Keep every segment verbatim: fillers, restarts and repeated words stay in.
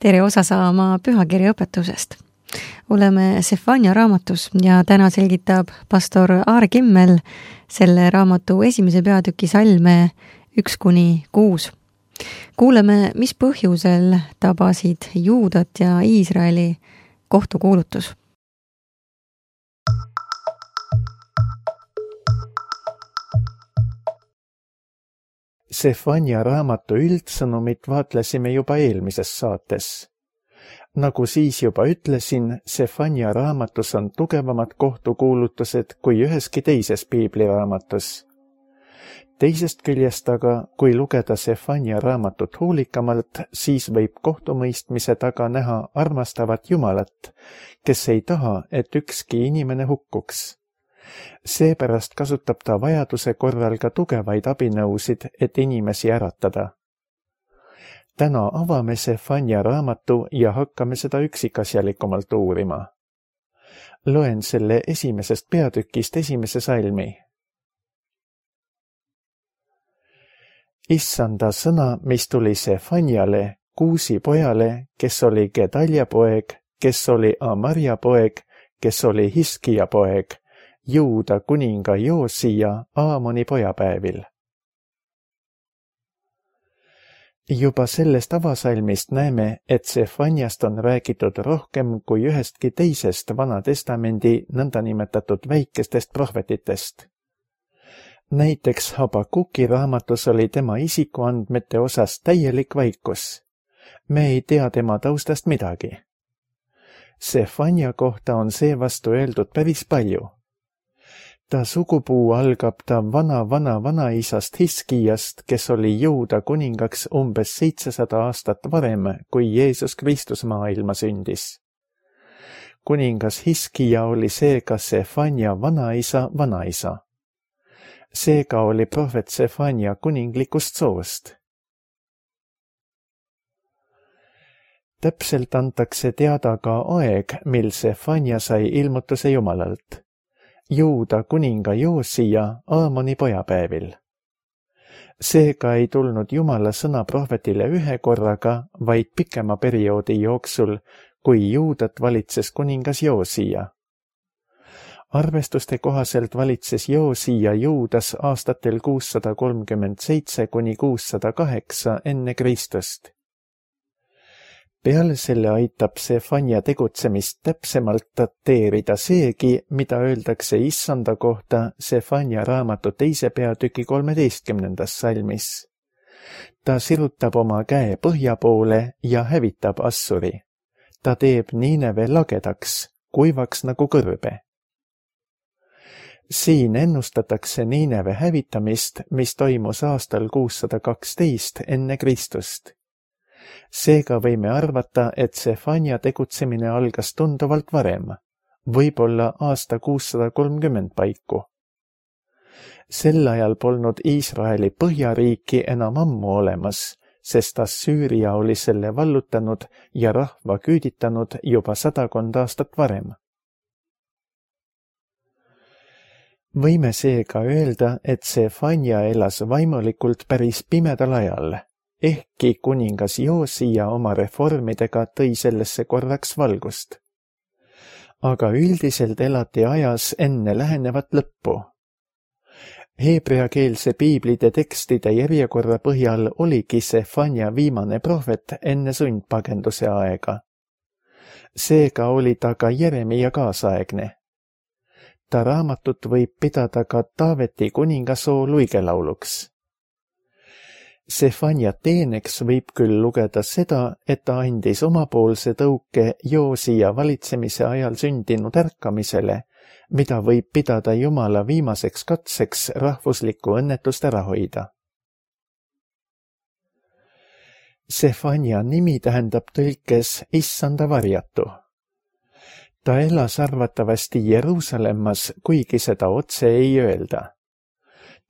tere osa saama pühakirja õpetusest. Oleme Sefania raamatus ja täna selgitab pastor Aare Kimmel selle raamatu esimese peatüki salme üks kuni kuus. Kuuleme, mis põhjusel tabasid Juudat ja Iisraeli kohtukuulutus. Sefania raamatu üldsõnumit vaatlesime juba eelmises saates. Nagu siis juba ütlesin, Sefania raamatus on tugevamad kohtukuulutused kui üheski teises piibliraamatus. Teisest küljest aga, kui lugeda Sefania raamatut hoolikamalt, siis võib kohtumõistmise taga näha armastavat Jumalat, kes ei taha, et ükski inimene hukkuks. Seepärast kasutab ta vajaduse korral ka tugevaid abinõusid, et inimesi äratada. Täna avame Sefania raamatu ja hakkame seda üksikasjalikumalt uurima. Loen selle esimesest peatükist esimese salmi. Issanda sõna, mis tuli Sefaniale, Kuusi pojale, kes oli Gedalja poeg, kes oli Amarja poeg, kes oli Hiskija poeg, Juuda kuninga Joosija Aamoni pojapäevil. Juba sellest avasalmist näeme, et Sefaniast on räägitud rohkem kui ühestki teisest Vana Testamendi nõndanimetatud väikestest prohvetitest. Näiteks Habakuki raamatus oli tema isikuandmete osas täielik vaikus. Me ei tea tema taustast midagi. Sefania kohta on seevastu öeldud päris palju. Ta sugupuu algab ta vana-vana-vanaisast Hiskijast, kes oli Juuda kuningaks umbes seitsesada aastat varem, kui Jeesus Kristus maailma sündis. Kuningas Hiskija oli seega Sefania vanaisa vanaisa. Seega oli prohvet Sefania kuninglikust soost. Täpselt antakse teada ka aeg, mil Sefania sai ilmutuse Jumalalt. Juuda kuninga Joosija Aamoni pojapäevil. Seega ei tulnud Jumala sõna prohvetile ühe korraga, vaid pikema perioodi jooksul, kui Juudat valitses kuningas Joosija. Arvestuste kohaselt valitses Joosija Juudas aastatel kuussada kolmkümmend seitse kuni kuussada kaheksa enne Kristust. Peale selle aitab Sefania tegutsemist täpsemalt dateerida seegi, mida öeldakse Issanda kohta Sefania raamatu teise peatüki kolmeteistkümnendas salmis. Ta sirutab oma käe põhja poole ja hävitab Assuri. Ta teeb Niineve lagedaks, kuivaks nagu kõrbe. Siin ennustatakse Niineve hävitamist, mis toimus aastal kuussada kaksteist enne Kristust. Seega võime arvata, et Sefania tegutsemine algas tunduvalt varem, võib-olla aasta kuussada kolmkümmend paiku. Sel ajal polnud Iisraeli põhjariiki enam ammu olemas, sest Assüüria oli selle vallutanud ja rahva küüditanud juba sadakond aastat varem. Võime seega öelda, et Sefania elas vaimulikult päris pimedal ajal, ehkki kuningas Joosija oma reformidega tõi sellesse korraks valgust. Aga üldiselt elati ajas enne lähenevat lõppu. Heebreakeelse piiblide tekstide järjekorra põhjal oligi Sefania viimane prohvet enne sundpagenduse aega. Seega oli ta ka Jeremia kaasaegne. Ta raamatut võib pidada ka Taaveti kuningasoo luigelauluks. Sefania teeneks võib küll lugeda seda, et ta andis omapoolse tõuke Joosija valitsemise ajal sündinud ärkamisele, mida võib pidada Jumala viimaseks katseks rahvuslikku õnnetust ära hoida. Sefania nimi tähendab tõlkes Issanda varjatu. Ta elas arvatavasti Jeruusalemmas, kuigi seda otse ei öelda.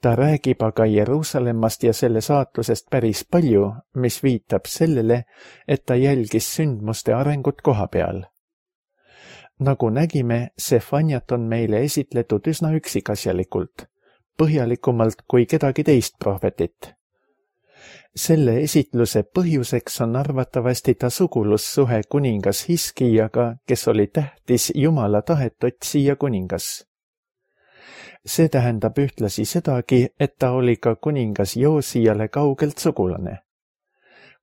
Ta räägib aga Jeruusalemmast ja selle saatusest päris palju, mis viitab sellele, et ta jälgis sündmuste arengut koha peal. Nagu nägime, Sefaniat on meile esitletud üsna üksikasjalikult, põhjalikumalt kui kedagi teist prohvetit. Selle esitluse põhjuseks on arvatavasti ta sugulussuhe kuningas Hiskiaga, kes oli tähtis Jumala tahet otsija kuningas. See tähendab ühtlasi sedagi, et ta oli ka kuningas Joosiale kaugelt sugulane.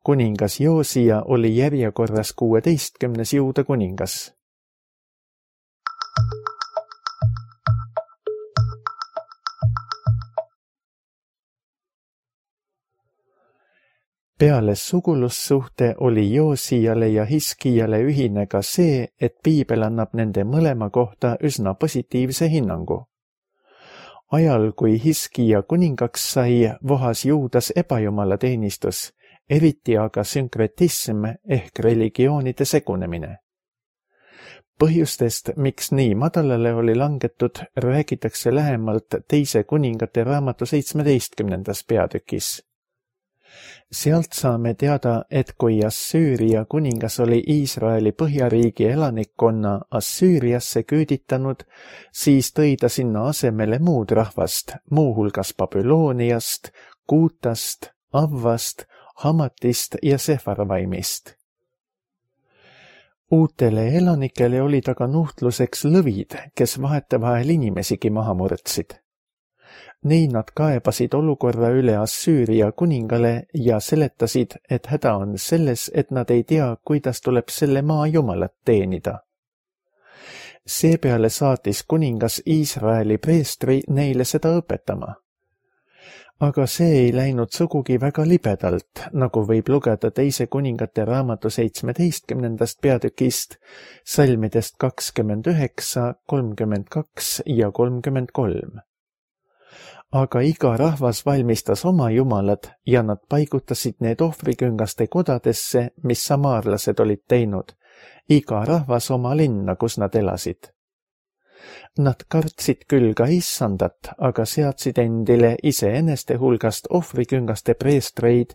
Kuningas Joosia oli järjekorras kuueteistkümnes Juuda kuningas. Peale sugulussuhte oli Joosiale ja Hiskiale ühine ka see, et piibel annab nende mõlema kohta üsna positiivse hinnangu. Ajal, kui Hiskia kuningaks sai, vohas Juudas ebajumala teenistus, eriti aga sünkretism ehk religioonide segunemine. Põhjustest, miks nii madalale oli langetud, räägitakse lähemalt teise kuningate raamatu seitsmeteistkümnendas peatükis. Sealt saame teada, et kui Assüüria kuningas oli Iisraeli põhjariigi elanikkonna Assüüriasse küüditanud, siis tõi ta sinna asemele muud rahvast, muuhulgas Babülooniast, Kuutast, Avvast, Hamatist ja Sefarvaimist. Uutele elanikele olid aga nuhtluseks lõvid, kes vahetevahel inimesigi maha murdsid. Nii nad kaebasid olukorra üle Assüüria kuningale ja seletasid, et häda on selles, et nad ei tea, kuidas tuleb selle maa jumalat teenida. Seepeale saatis kuningas Iisraeli preestri neile seda õpetama. Aga see ei läinud sugugi väga libedalt, nagu võib lugeda teise kuningate raamatu seitsmeteistkümnendast peatükist, salmidest kakskümmend üheksa, kolmkümmend kaks ja kolmkümmend kolm. Aga iga rahvas valmistas oma jumalad ja nad paigutasid need ohvriküngaste kodadesse, mis samaarlased olid teinud, iga rahvas oma linna, kus nad elasid. Nad kartsid küll ka issandat, aga seadsid endile iseeneste hulgast ohvriküngaste preestreid,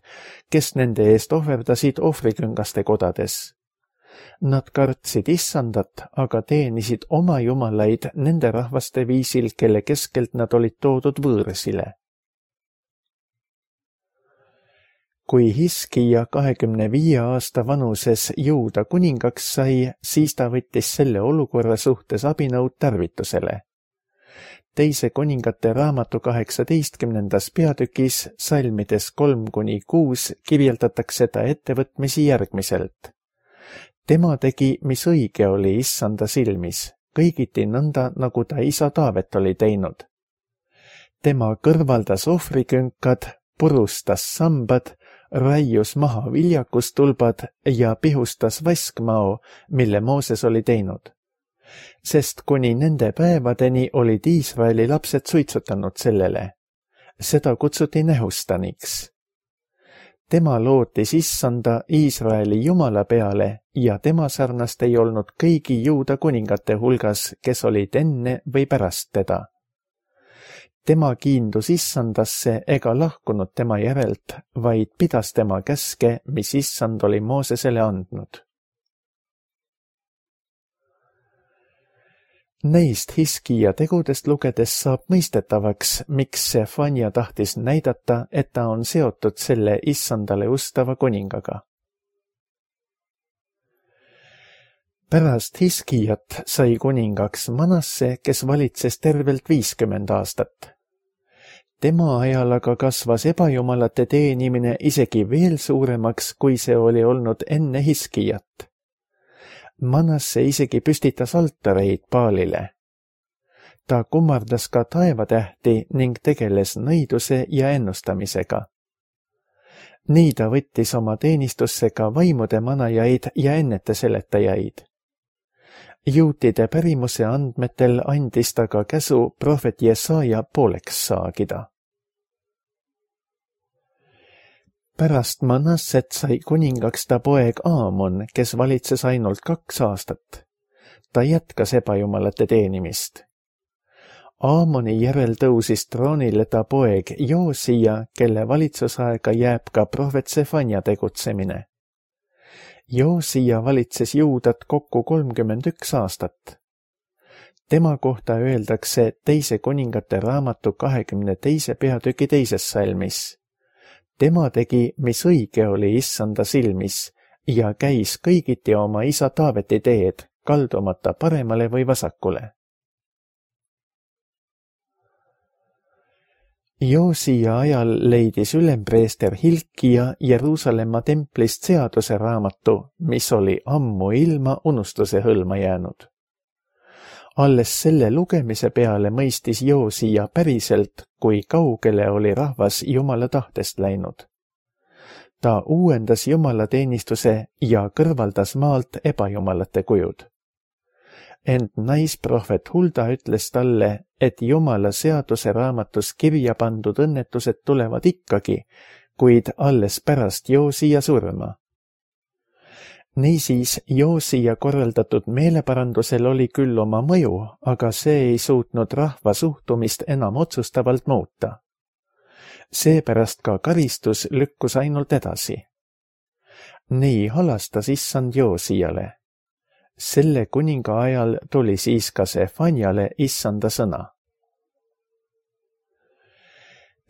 kes nende eest ohverdasid ohvriküngaste kodades. Nad kartsid issandat, aga teenisid oma jumalaid nende rahvaste viisil, kelle keskelt nad olid toodud võõrsile. Kui Hiskia kahekümne viie aasta vanuses Juuda kuningaks sai, siis ta võttis selle olukorra suhtes abinõud tarvitusele. Teise kuningate raamatu kaheksateistkümnendas peatükis, salmides kolm kuni kuus, kirjeldatakse ta ettevõtmisi järgmiselt. Tema tegi, mis õige oli issanda silmis, kõigiti nõnda, nagu ta isa Taavet oli teinud. Tema kõrvaldas ohvrikünkad, purustas sambad, raius maha viljakustulbad ja pihustas vaskmao, mille Mooses oli teinud. Sest kuni nende päevadeni olid Iisraeli lapsed suitsutanud sellele. Seda kutsuti nehustaniks. Tema lootis issanda Iisraeli jumala peale ja tema sarnast ei olnud kõigi Juuda kuningate hulgas, kes olid enne või pärast teda. Tema kiindus issandasse ega lahkunud tema järelt, vaid pidas tema käske, mis issand oli Moosesele andnud. Neist Hiskia tegudest lugedes saab mõistetavaks, miks Sefania tahtis näidata, et ta on seotud selle issandale ustava kuningaga. Pärast Hiskiat sai kuningaks Manasse, kes valitses tervelt viiskümmend aastat. Tema ajal aga kasvas ebajumalate teenimine isegi veel suuremaks, kui see oli olnud enne Hiskiat. Manasse isegi püstitas altareid Baalile. Ta kummardas ka taevatähti ning tegeles nõiduse ja ennustamisega. Nii ta võttis oma teenistusse ka vaimude manajaid ja enneteseletajaid. Juutide pärimuse andmetel andis ta ka käsu prohvet Jesaja pooleks saagida. Pärast Manasset sai kuningaks ta poeg Aamon, kes valitses ainult kaks aastat. Ta jätkas ebajumalate teenimist. Aamoni järel tõusis troonile ta poeg Joosia, kelle valitsusaega jääb ka prohvet Sefania tegutsemine. Joosia valitses Juudat kokku kolmkümmend üks aastat. Tema kohta öeldakse teise kuningate raamatu kahekümne teise peatüki teises salmis. tema tegi, mis õige oli issanda silmis ja käis kõigiti oma isa Taaveti teed, kaldumata paremale või vasakule. Joosia ajal leidis ülempreester Hilkia Jeruusalemma templist seaduse raamatu, mis oli ammu ilma unustuse hõlma jäänud. Alles selle lugemise peale mõistis Joosia päriselt, kui kaugele oli rahvas Jumala tahtest läinud. Ta uuendas jumalateenistuse ja kõrvaldas maalt ebajumalate kujud. Ent naisprohvet Hulda ütles talle, et Jumala seaduse raamatus kirja pandud õnnetused tulevad ikkagi, kuid alles pärast Joosia surma. Niisiis Joosia korraldatud meeleparandusel oli küll oma mõju, aga see ei suutnud rahva suhtumist enam otsustavalt muuta. Seepärast ka karistus lükkus ainult edasi. Nii halastas issand Joosiale. Selle kuninga ajal tuli siis ka Sefanjale issanda sõna.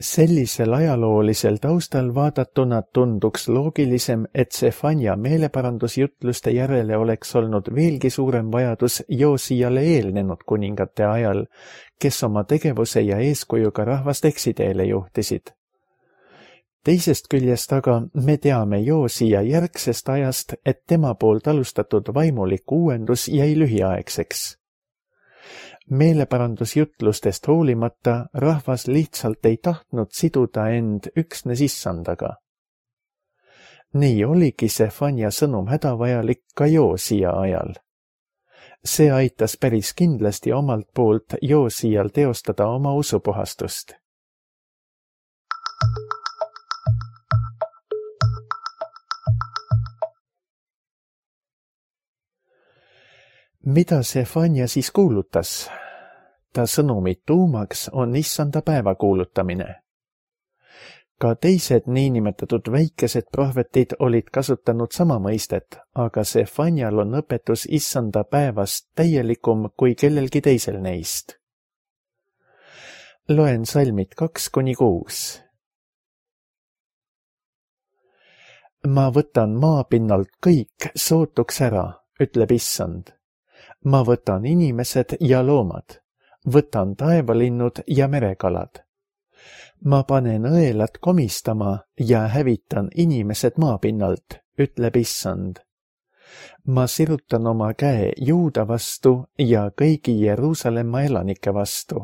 Sellisel ajaloolisel taustal vaadatuna tunduks loogilisem, et Sefanja meeleparandusjutluste järele oleks olnud veelgi suurem vajadus Joosiale eelnenud kuningate ajal, kes oma tegevuse ja eeskujuga rahvast eksiteele juhtisid. Teisest küljest aga me teame Joosia järgsest ajast, et tema poolt alustatud vaimulik uuendus jäi lühiaegseks. Meeleparandusjutlustest hoolimata rahvas lihtsalt ei tahtnud siduda end üksnes issandaga. Nii oligi Sefanja sõnum hädavajalik ka Joosia ajal. See aitas päris kindlasti omalt poolt Joosial teostada oma usupuhastust. Mida Sefanja siis kuulutas? Ta sõnumi tuumaks on issanda päeva kuulutamine. Ka teised niinimetatud väikesed prohvetid olid kasutanud sama mõistet, aga Sefanjal on õpetus issanda päevast täielikum kui kellelgi teisel neist. Loen salmid kaks kuni kuus. Ma võtan maapinnalt kõik sootuks ära, ütleb issand. Ma võtan inimesed ja loomad, võtan taevalinnud ja merekalad. Ma panen õelad komistama ja hävitan inimesed maapinnalt, ütleb issand. Ma sirutan oma käe Juuda vastu ja kõigi Jeruusalemma elanike vastu.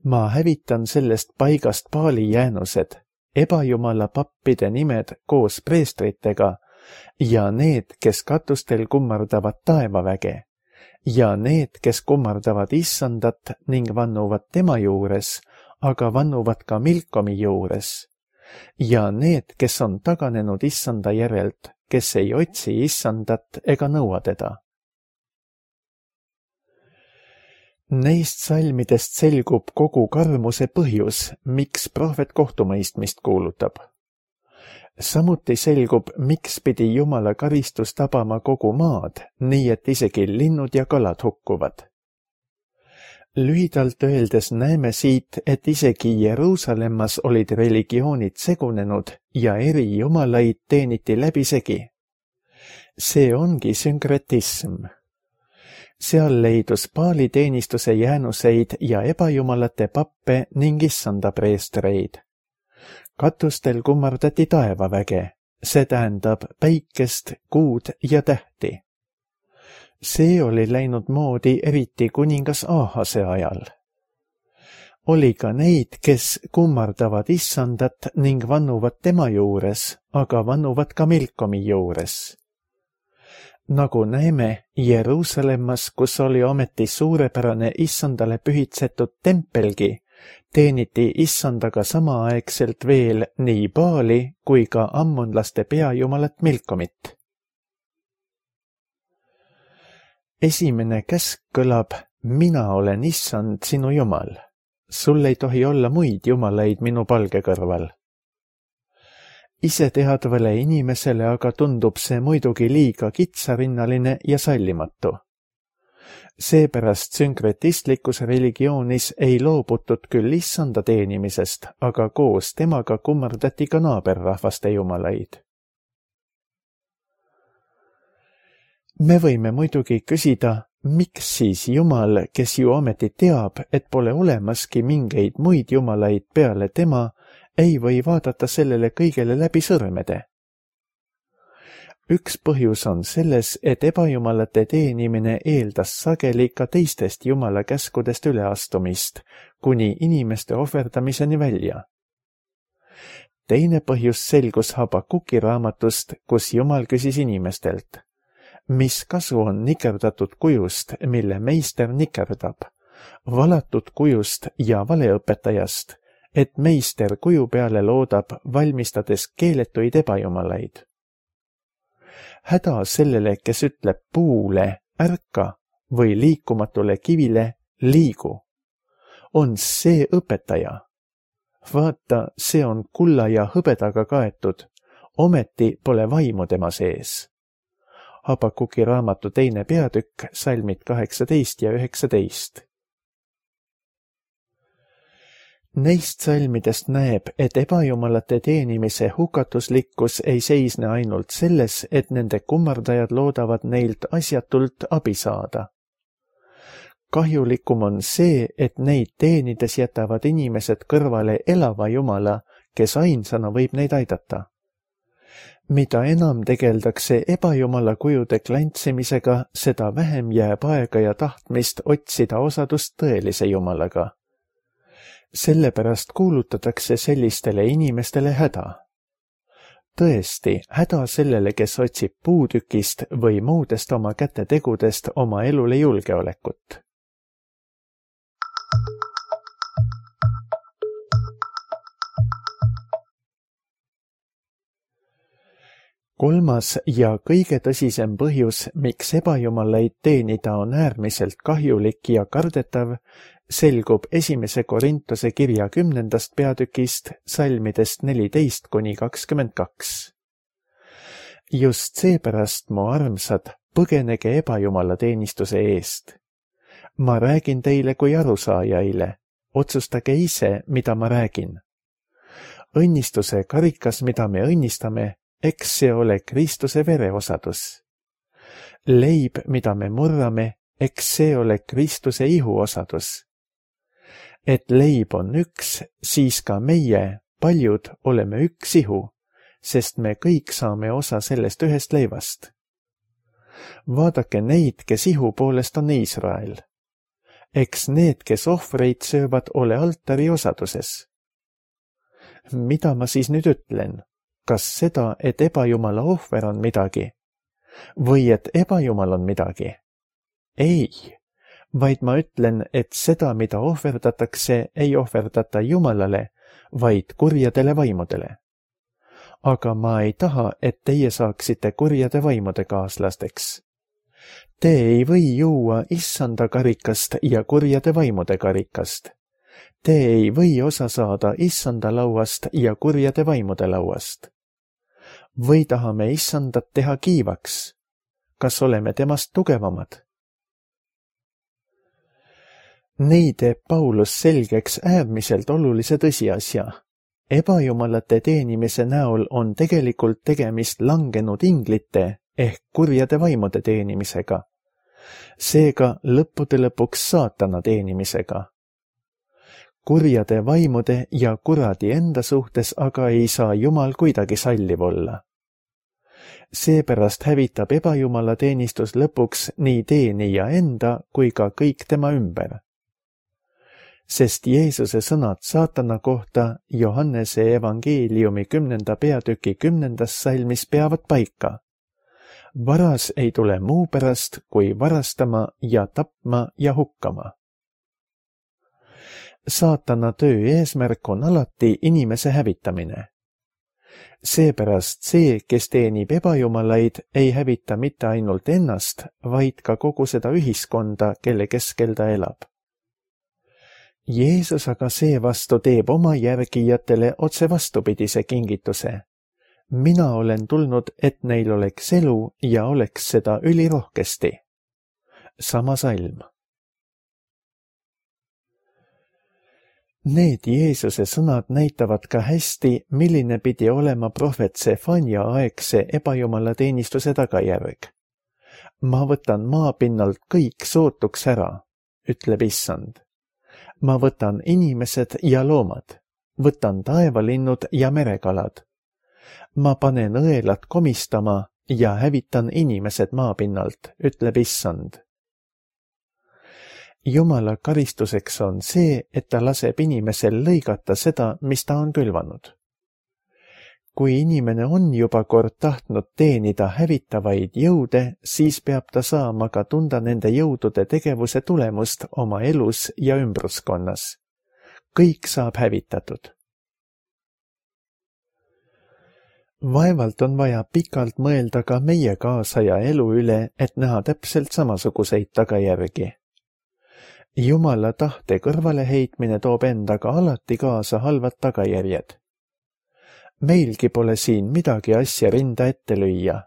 Ma hävitan sellest paigast paali jäänused, ebajumala pappide nimed koos preestritega ja need, kes katustel kummardavad taevaväge. Ja need, kes kummardavad issandat ning vannuvad tema juures, aga vannuvad ka Milkomi juures. Ja need, kes on taganenud issanda järelt, kes ei otsi issandat ega nõua teda. Neist salmidest selgub kogu karmuse põhjus, miks prohvet kohtumõistmist kuulutab. Samuti selgub, miks pidi Jumala karistus tabama kogu maad, nii et isegi linnud ja kalad hukkuvad. Lühidalt öeldes näeme siit, et isegi Jeruusalemmas olid religioonid segunenud ja eri jumalaid teeniti läbisegi. See ongi sünkretism. Seal leidus paaliteenistuse jäänuseid ja ebajumalate pappe ning issanda preestreid. Katustel kummardati taevaväge, see tähendab päikest, kuud ja tähti. See oli läinud moodi eriti kuningas Ahase ajal. Oli ka neid, kes kummardavad issandat ning vannuvad tema juures, aga vannuvad ka Milkomi juures. Nagu näeme, Jeruusalemmas, kus oli ometi suurepärane issandale pühitsetud tempelgi, teeniti issandaga samaaegselt veel nii Baali kui ka ammonlaste peajumalat Milkomit. Esimene käsk kõlab, mina olen issand sinu jumal. Sul ei tohi olla muid jumalaid minu palge kõrval. Iseteadvale inimesele aga tundub see muidugi liiga kitsarinnaline ja sallimatu. Seepärast sünkretistlikus religioonis ei loobutud küll issanda teenimisest, aga koos temaga kummardati ka naaberrahvaste jumalaid. Me võime muidugi küsida, miks siis Jumal, kes ju ometi teab, et pole olemaski mingeid muid jumalaid peale tema, ei või vaadata sellele kõigele läbi sõrmede. Üks põhjus on selles, et ebajumalate teenimine eeldas sageli ka teistest jumala käskudest üleastumist, kuni inimeste ohverdamiseni välja. Teine põhjus selgus Habakuki raamatust, kus Jumal küsis inimestelt, mis kasu on nikerdatud kujust, mille meister nikerdab, valatud kujust ja valeõpetajast, et meister kuju peale loodab, valmistades keeletuid ebajumalaid. Häda sellele, kes ütleb puule ärka või liikumatule kivile liigu, on see õpetaja. Vaata, see on kulla ja hõbedaga kaetud, ometi pole vaimu tema sees. Habakuki raamatu teine peatükk, salmid kaheksateist ja üheksateist. Neist salmidest näeb, et ebajumalate teenimise hukatuslikkus ei seisne ainult selles, et nende kummardajad loodavad neilt asjatult abi saada. Kahjulikum on see, et neid teenides jätavad inimesed kõrvale elava Jumala, kes ainsana võib neid aidata. Mida enam tegeldakse ebajumala kujude klantsimisega, seda vähem jääb aega ja tahtmist otsida osadust tõelise Jumalaga. Sellepärast kuulutatakse sellistele inimestele häda. Tõesti, häda sellele, kes otsib puutükist või muudest oma kätetegudest oma elule julgeolekut. Kolmas ja kõige tõsisem põhjus, miks ebajumalaid teenida on äärmiselt kahjulik ja kardetav, selgub esimese Korintuse kirja kümnendast peatükist, salmidest neliteist kuni kakskümmend kaks. Just seepärast, mu armsad, põgenege ebajumala teenistuse eest. Ma räägin teile kui arusaajaile, otsustage ise, mida ma räägin. Õnnistuse karikas, mida me õnnistame, eks see ole Kristuse vereosadus. Leib, mida me murrame, eks see ole Kristuse ihuosadus. Et leib on üks, siis ka meie, paljud, oleme üks ihu, sest me kõik saame osa sellest ühest leivast. Vaadake neid, kes ihu poolest on Iisrael. Eks need, kes ohvreid söövad, ole altari osaduses. Mida ma siis nüüd ütlen? Kas seda, et ebajumala ohver on midagi? Või et ebajumal on midagi? Ei. Vaid ma ütlen, et seda, mida ohverdatakse, ei ohverdata Jumalale, vaid kurjadele vaimudele. Aga ma ei taha, et teie saaksite kurjade vaimude kaaslasteks. Te ei või juua issanda karikast ja kurjade vaimude karikast. Te ei või osa saada issanda lauast ja kurjade vaimude lauast. Või tahame issandat teha kiivaks? Kas oleme temast tugevamad? Nii teeb Paulus selgeks äärmiselt olulise tõsiasja. Ebajumalate teenimise näol on tegelikult tegemist langenud inglite ehk kurjade vaimude teenimisega. Seega lõppude lõpuks saatana teenimisega. Kurjade vaimude ja kuradi enda suhtes aga ei saa Jumal kuidagi salliv olla. Seepärast hävitab ebajumala teenistus lõpuks nii teenija enda kui ka kõik tema ümber. Sest Jeesuse sõnad saatana kohta Johannese evangeeliumi kümnenda peatüki kümnendas salmis peavad paika. Varas ei tule muu pärast kui varastama ja tapma ja hukkama. Saatana töö eesmärk on alati inimese hävitamine. Seepärast see, kes teenib ebajumalaid, ei hävita mitte ainult ennast, vaid ka kogu seda ühiskonda, kelle keskel ta elab. Jeesus aga seevastu teeb oma järgijatele otse vastupidise kingituse. Mina olen tulnud, et neil oleks elu ja oleks seda ülirohkesti. sama salm. Need Jeesuse sõnad näitavad ka hästi, milline pidi olema prohvet Sefania aegse ebajumalateenistuse tagajärg. Ma võtan maapinnalt kõik sootuks ära, ütleb issand. Ma võtan inimesed ja loomad, võtan taevalinnud ja merekalad. Ma panen õelad komistama ja hävitan inimesed maapinnalt, ütleb issand. Jumala karistuseks on see, et ta laseb inimesel lõigata seda, mis ta on külvanud. Kui inimene on juba kord tahtnud teenida hävitavaid jõude, siis peab ta saama ka tunda nende jõudude tegevuse tulemust oma elus ja ümbruskonnas. Kõik saab hävitatud. Vaevalt on vaja pikalt mõelda ka meie kaasaja elu üle, et näha täpselt samasuguseid tagajärgi. Jumala tahte kõrvaleheitmine toob endaga alati kaasa halvad tagajärjed. Meilgi pole siin midagi asja rinda ette lüüa.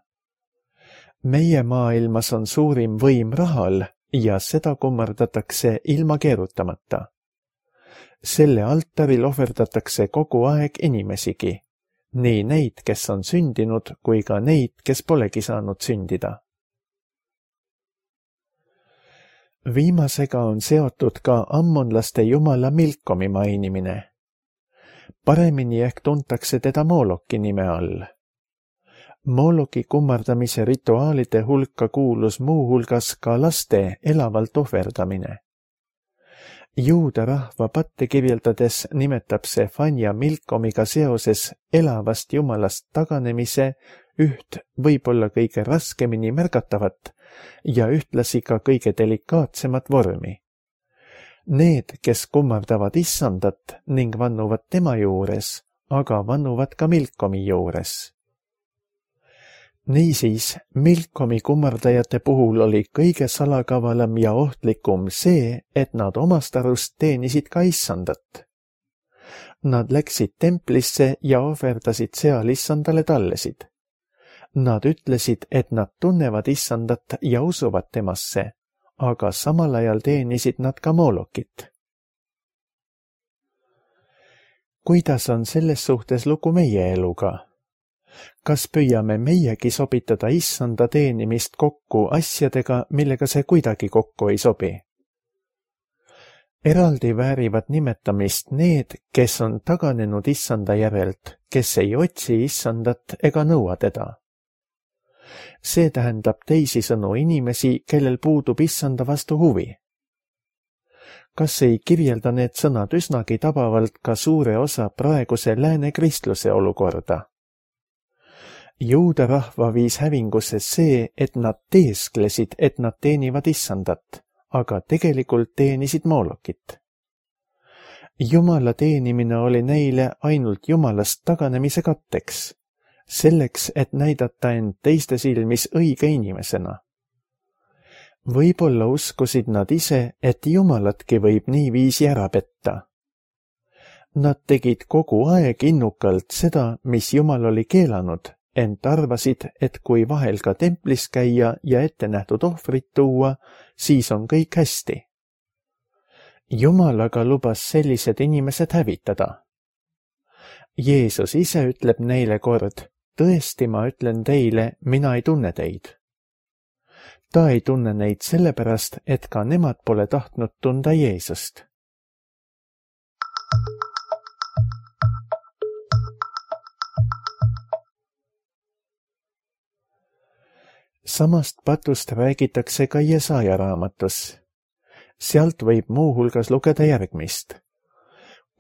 Meie maailmas on suurim võim rahal ja seda kummardatakse ilma keerutamata. Selle altaril ohverdatakse kogu aeg inimesigi, nii neid, kes on sündinud, kui ka neid, kes polegi saanud sündida. Viimasega on seotud ka ammonlaste jumala Milkomi mainimine. Paremini ehk tuntakse teda Mooloki nime all. Mooloki kummardamise rituaalide hulka kuulus muu hulgas ka laste elavalt ohverdamine. Juuda rahva patte kirjeldades nimetab Sefania Milkomiga seoses elavast jumalast taganemise üht võib-olla kõige raskemini märgatavat ja ühtlasi ka kõige delikaatsemat vormi. Need, kes kummardavad issandat ning vannuvad tema juures, aga vannuvad ka Milkomi juures. Niisiis, Milkomi kummardajate puhul oli kõige salakavalam ja ohtlikum see, et nad omast arust teenisid ka issandat. Nad läksid templisse ja ohverdasid seal issandale tallesid. Nad ütlesid, et nad tunnevad issandat ja usuvad temasse, aga samal ajal teenisid nad ka Moolokit. Kuidas on selles suhtes lugu meie eluga? Kas püüame meiegi sobitada issanda teenimist kokku asjadega, millega see kuidagi kokku ei sobi? Eraldi väärivad nimetamist need, kes on taganenud issanda järelt, kes ei otsi issandat ega nõua teda. See tähendab teisisõnu inimesi, kellel puudub issanda vastu huvi. Kas ei kirjelda need sõnad üsnagi tabavalt ka suure osa praeguse lääne kristluse olukorda? Juuda rahva viis hävingusse see, et nad teesklesid, et nad teenivad issandat, aga tegelikult teenisid Moolokit. Jumala teenimine oli neile ainult Jumalast taganemise katteks, selleks, et näidata end teiste silmis õige inimesena. Võib-olla uskusid nad ise, et Jumalatki võib niiviisi ära petta. Nad tegid kogu aeg innukalt seda, mis Jumal oli keelanud, ent arvasid, et kui vahel ka templis käia ja ette nähtud ohvrit tuua, siis on kõik hästi. Jumal aga lubas sellised inimesed hävitada. Jeesus ise ütleb neile kord, tõesti ma ütlen teile, mina ei tunne teid. Ta ei tunne neid sellepärast, et ka nemad pole tahtnud tunda Jeesust. Samast patust räägitakse ka Jesaja raamatus. Sealt võib muu hulgas lugeda järgmist.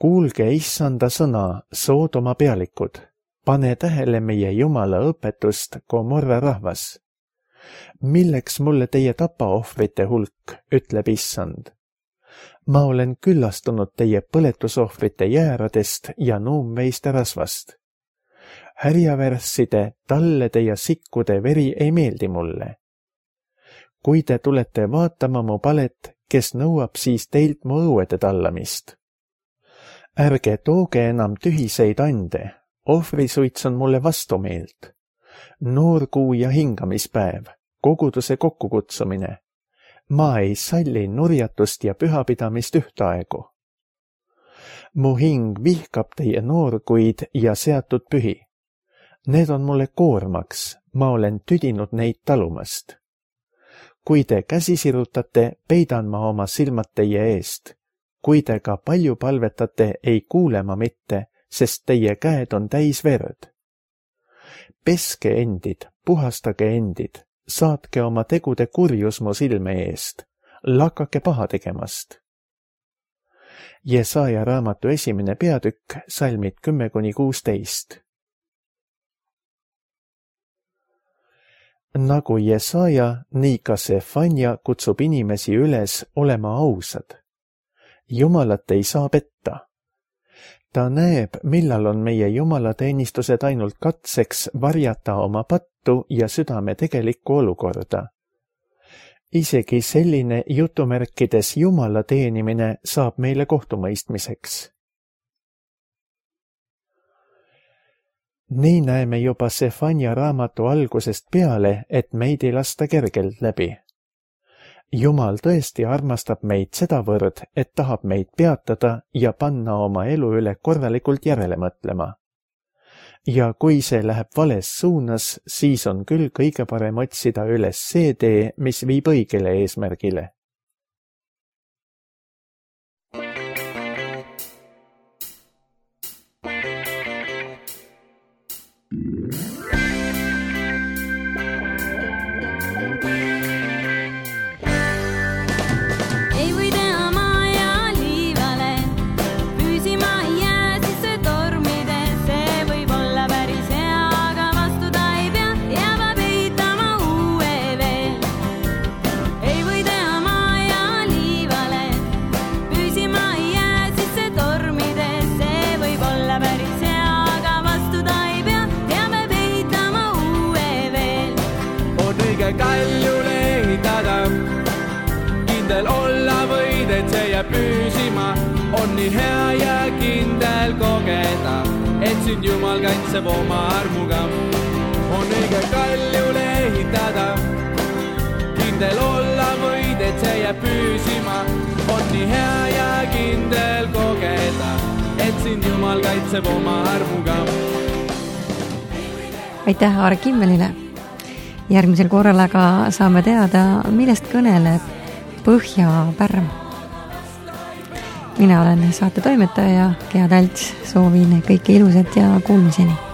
Kuulge issanda sõna, Soodoma pealikud, pane tähele meie Jumala õpetust, Gomorra rahvas. Milleks mulle teie tapaohvrite hulk, ütleb issand. Ma olen küllastunud teie põletusohvrite jääradest ja nuumveiste rasvast. Härjavärsside, tallede ja sikkude veri ei meeldi mulle. Kui te tulete vaatama mu palet, kes nõuab siis teilt mu õuede tallamist? Ärge tooge enam tühiseid ande, ohvrisuits on mulle vastumeelt. Noorkuu ja hingamispäev, koguduse kokkukutsumine. ma ei salli nurjatust ja pühapidamist ühtaegu. Mu hing vihkab teie noorkuid ja seatud pühi. Need on mulle koormaks, ma olen tüdinud neid talumast. Kui te käsi sirutate, peidan ma oma silmad teie eest. Kui te ka palju palvetate, ei kuule ma mitte, sest teie käed on täis verd. Peske endid, puhastage endid, saatke oma tegude kurjus mu silme eest, lakake paha tegemast. Jesaja raamatu esimene peatükk, salmid kümme kuni kuusteist. Nagu Jesaja, nii ka Sefanja kutsub inimesi üles olema ausad. Jumalat ei saa petta. Ta näeb, millal on meie jumalateenistused ainult katseks varjata oma pattu ja südame tegelikku olukorda. Isegi selline jutumärkides Jumala teenimine saab meile kohtumõistmiseks. Nii näeme juba Sefanja raamatu algusest peale, et meid ei lasta kergelt läbi. Jumal tõesti armastab meid sedavõrd, et tahab meid peatada ja panna oma elu üle korralikult järele mõtlema. Ja kui see läheb vales suunas, siis on küll kõige parem otsida üles see tee, mis viib õigele eesmärgile. Kaljule ehitada, kindel olla võid, et see jääb püsima. On nii hea ja kindel kogeda, et sind Jumal kaitseb oma armuga. On õige kaljule ehitada, kindel olla võid, et see jääb püsima. On nii hea ja kindel kogeda, et sind Jumal kaitseb oma armuga. Aitäh Aar Kimmelile! Järgmisel korral aga saame teada, millest kõneleb Põhjapärm. Mina olen saate toimetaja Gea Talts, soovin kõike ilusat ja kuulmiseni!